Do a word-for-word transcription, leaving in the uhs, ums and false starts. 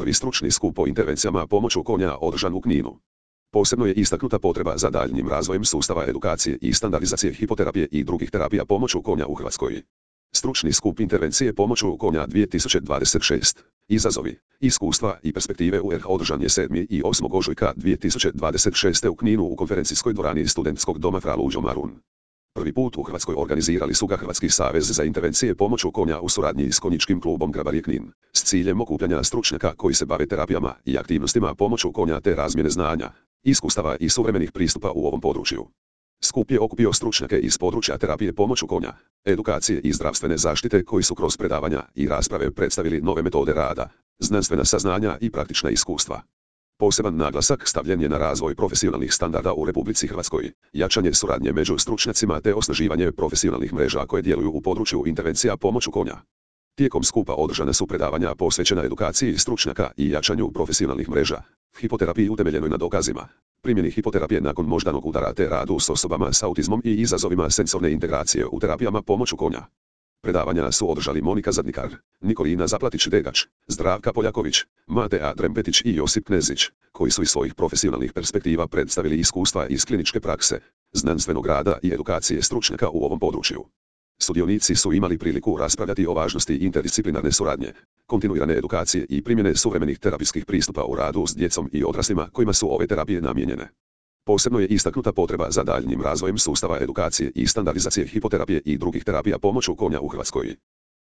prvi stručni skup o intervencijama pomoću konja održan u Kninu. Posebno je istaknuta potreba za daljnjim razvojem sustava edukacije i standardizacije hipoterapije i drugih terapija pomoću konja u Hrvatskoj. Stručni skup intervencije pomoću konja dvije tisuće dvadeset šest. Izazovi, iskustva i perspektive u R H održan je sedmog i osmog ožujka dvije tisuće dvadeset šeste. u Kninu u konferencijskoj dvorani Studentskog doma Fra Luđo Marun. Prvi put u Hrvatskoj organizirali su ga Hrvatski savez za intervencije pomoću konja u suradnji s konjičkim klubom Grabarje Knin, s ciljem okupljanja stručnjaka koji se bave terapijama i aktivnostima pomoću konja te razmjene znanja, iskustava i suvremenih pristupa u ovom području. Skup je okupio stručnjake iz područja terapije pomoću konja, edukacije i zdravstvene zaštite koji su kroz predavanja i rasprave predstavili nove metode rada, znanstvena saznanja i praktična iskustva. Poseban naglasak stavljen je na razvoj profesionalnih standarda u Republici Hrvatskoj, jačanje suradnje među stručnjacima te osnaživanje profesionalnih mreža koje djeluju u području intervencija pomoću konja. Tijekom skupa održana su predavanja posvećena edukaciji stručnjaka i jačanju profesionalnih mreža, hipoterapiji utemeljenoj na dokazima, primjeni hipoterapije nakon moždanog udara te radu s osobama s autizmom i izazovima sensorne integracije u terapijama pomoću konja. Predavanja su održali Monika Zadnikar, Nikolina Zaplatić-Degač, Zdravka Poljaković, Matea Drempetić i Josip Knezić, koji su iz svojih profesionalnih perspektiva predstavili iskustva iz kliničke prakse, znanstvenog rada i edukacije stručnjaka u ovom području. Sudionici su imali priliku raspravljati o važnosti interdisciplinarne suradnje, kontinuirane edukacije i primjene suvremenih terapijskih pristupa u radu s djecom i odraslima kojima su ove terapije namijenjene. Posebno je istaknuta potreba za daljnjim razvojem sustava edukacije i standardizacije hipoterapije i drugih terapija pomoću konja u Hrvatskoj.